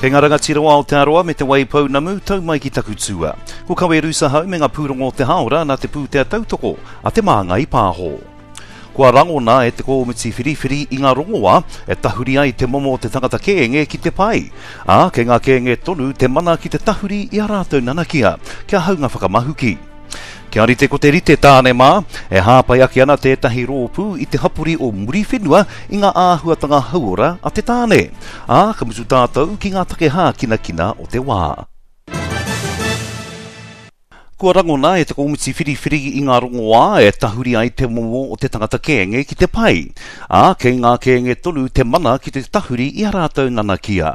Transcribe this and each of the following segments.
Kei ngā rangatira o Aotearoa me Te Waipounamu, tau mai ki taku tua. Ko Kawe Rusahau me ngā pūrongo o te hāora nā te pūtea tautoko a Te Māngai Pāho. Kua rangona e te kōmiti whiriwhiri i ngā rongoā e tahuri ai te momo o te tangata kēnge ki te pai, ā, kei ngā kēnge tonu te mana ki te tahuri i ā rātou nanakia kia haunga whakamahuki. Kia rite ko te rite tāne mā, e hāpai ake ana tētahi rōpū i te hapori o Muriwhenua i ngā āhuatanga hauora a te tāne. Ā, ka mutu tātou ki ngā take hākinakina o te wā. Kua rangona e te komiti whiriwhiri i ngā rongoā e tahuri ai te momo o te tangata kēnge ki te pai, ā, kei ngā kēnge tonu te mana ki te tahuri i a rātou nanakia.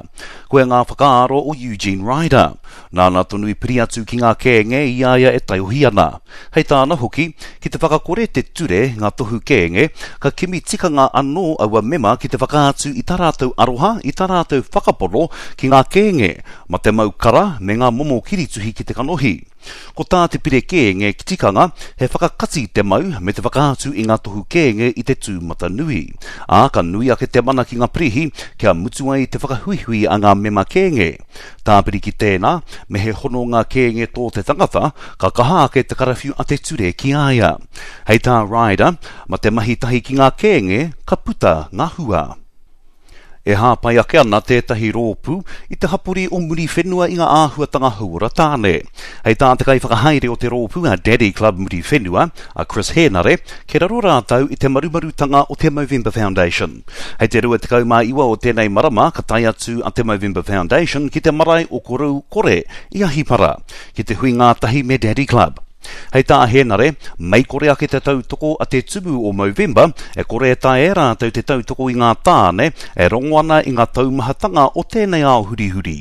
Koia ngā whakaaro o Eugene Ryder. Nāna tonu i piri atu ki ngā kēnge i a ia e taiohi ana. Hei tāna hoki, ki te whakakore te ture ngā tohu kēnge, ka kimi tikanga anō aua mema ki te whakaatu i tā rātou aroha, i tā rātou whakapono ki ngā kēnge, ma te mau kara me ngā momo kirituhi ki te kanohi. Ko tā te pire kēnge tikanga, he whakakati te mau me te whakaatu i ngā tohu kēnge i te tūmatanui. Ā, ka nui ake te mana ki ngā pirihi kia mutu ai te whakahuihui a ngā mema kēnge. Tāpiri ki tēnā, me he hononga kēnge tō te tangata, ka kaha ake te karawhiu a te ture ki a ia. Hei tā Ryder, ma te mahi tahi ki ngā kēnge, ka puta ngā hua. E hāpai ake ana tētahi rōpū i te hapori o Muriwhenua i ngā āhuatanga hauora tāne. Hei tā te kaiwhakahaere o te rōpū a Daddy Club Muriwhenua, a Chris Hēnare, kei raro rātou i te marumarutanga o te Movember Foundation. Hei te 29 o tēnei marama ka tae atu a te Movember Foundation ki te marae o Korou Kore i Ahipara, ki te hui ngātahi me Daddy Club. Hei tā Hēnare, mei kore ake te tautoko a te tumu o Movember, e kore e taea e rātou te tautoko i ngā tāne e rongo ana i ngā taumahatanga o tēnei ao hurihuri.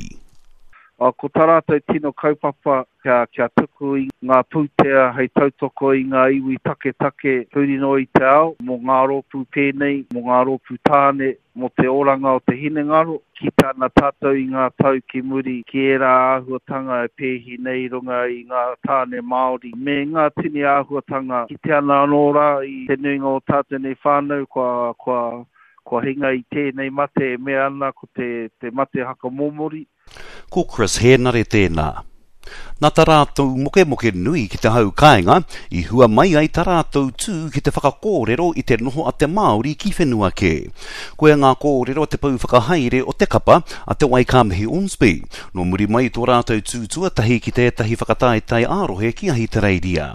Ko tā rātou tino kaupapa kia, kia tuku i ngā pūtea hei tautoko i ngā iwi taketake huri noa i te ao, mō ngā rōpū pēnei, mō ngā rōpū tāne, mō te oranga o te hinengaro. Kite ana tātou i ngā tau ki muri ki ērā āhuatanga e pēhi nei i runga i ngā tāne Māori me ngā tini āhuatanga. Kite ana anō rā i te nuinga o tātou nei whānau kua, kua, kua hinga i tēnei mate e mea ana ko te, te mate hakamomori. Ko Chris Hēnare tēnā. Nā tā rātou mokemoke nui ki te hau kāinga, i hua mai ai tā rātou tū ki te whakakōrero i te noho a te Māori ki whenua kē. Koia ngā kōrero a te pou whakahaere o te kapa, a Te Waikāmihi Ormsby, nō muri mai i tō rātou tū tuatahi ki tētahi whakataetae ā-rohe ki Ahitereiria.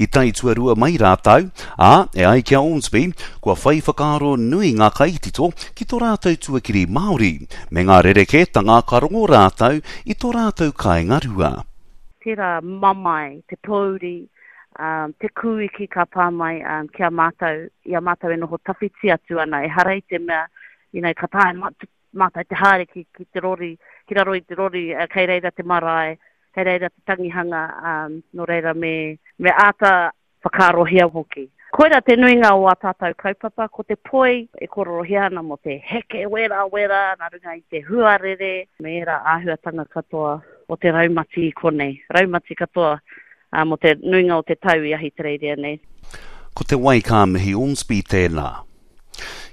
I tae tuarua mai rātou, ā, e ai ki a Ormsby, kua whai whakaaro nui ngā kaitito ki tō rātou tuakiri Māori, me ngā rerekētanga ka rongo rātou i tō rātou kāinga rua. Tērā mamae, te pōuri, te kūiki ka pā mai ki a mātou, i a mātou e noho tawhiti atu ana, ehara i te mea, you know, ka taea mātou te haere ki, ki te rori, ki raro i te rori, kei reira te marae, kei reira te tangihanga, nō reira me, me āta whakaarohia hoki. Koira te nuinga o ā tātou kaupapa, ko te poi e kōrorohia ana mō te heke werawera nā runga i te huarere me ērā āhuatanga katoa o te raumati i konei, raumati katoa mō te nuinga o te tau i Ahitereiria nei. Ko te wai ka mihi Ormsby tēnā.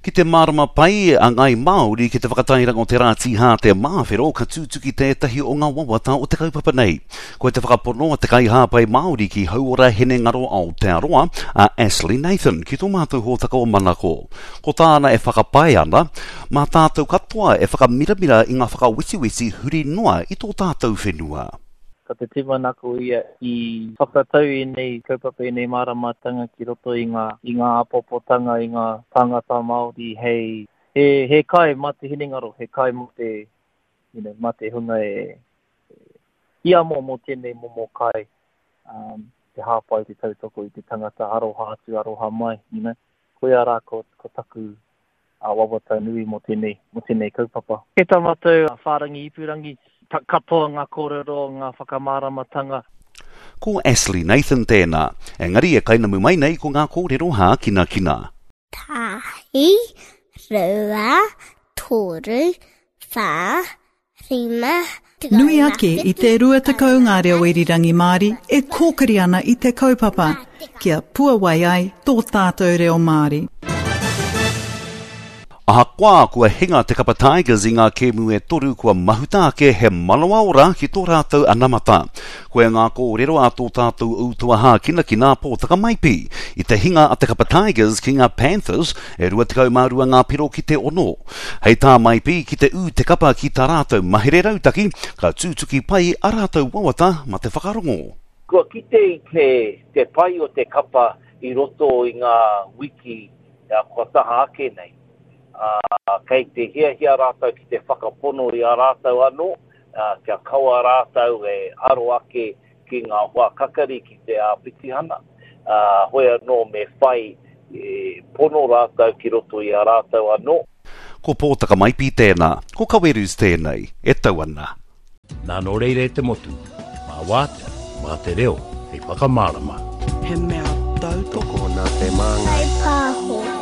Ki te mārama pai a Ngāi Māori ki te whakatairanga o te rā tīhāte māwhero ka tūtuki tētahi o ngā wawata o te kaupapa nei. Koia te whakapono a te kaihāpai Māori ki Hauora Hinengaro Aotearoa, a Ashley Nathan, ki tō mātou hōtaka o Manako. Ko tāna e whakapae ana, mā tātou katoa e whakamiramira i ngā whakawetiweti huri noa i tō tātou whenua. Ko te tūmanako ia i whakatau ēnei kaupapa, ēnei māramatanga ki roto i ngā, i ngā āpopotanga, i ngā tāngata Māori hei, he, he kai mā te hinengaro, he kai mō te, you know, mā te hunga e, e hiamo mō tēnei momo kai, um, te hāpai, te tautoko i te tangata aroha atu, aroha mai, you know. Koia rā ko, ko taku a wawata nui mō tēnei, mō tēnei kaupapa. Kei tā mātou whārangi ipurangi, katoa ngā kōrero, ngā whakamāramatanga. Ko Ashley Nathan tēnā, engari e kainamu mai nei ko ngā kōrero hākinakina. Tahi, rua, toru, whā, Nui ake i te 20 ngā reo irirangi Māori e kōkiri ana i te kaupapa kia puawai ai tō tātou reo Māori. Ahakoa kua hinga te kapa Tigers i ngā kēmu e toru kua mahuta ake he manawa ora ki tō rātou anamata. Koia ngā kōrero a tō tātou ūtoa hākinakina a Pōtaka Maipi i te hinga a te kapa Tigers ki ngā Panthers e 22 ngā piro ki te ono. Hei tā Maipi ki te ū te kapa ki tā rātou mahere rautaki ka tūtuki pai a rātou wawata ma te whakarongo. Kua kite i te pai o te kapa i roto i ngā wiki kua taha ake nei, ā, kei te hiahia rātou ki te whakapono i a rātou anō, ā, kia kaua rātou e aro ake ki ngā hoa kakari ki te āpitihana, ā, hoi anō me whai pono rātou ki roto i a rātou anō. Ko Pōtaka Maipi tēnā, ko Kawerus tēnei, e tau ana. Nā nō reira e te motu, mā wātea, mā te reo hei whakamārama. He mea tautoko. Tokona te māngai. Whai pāho.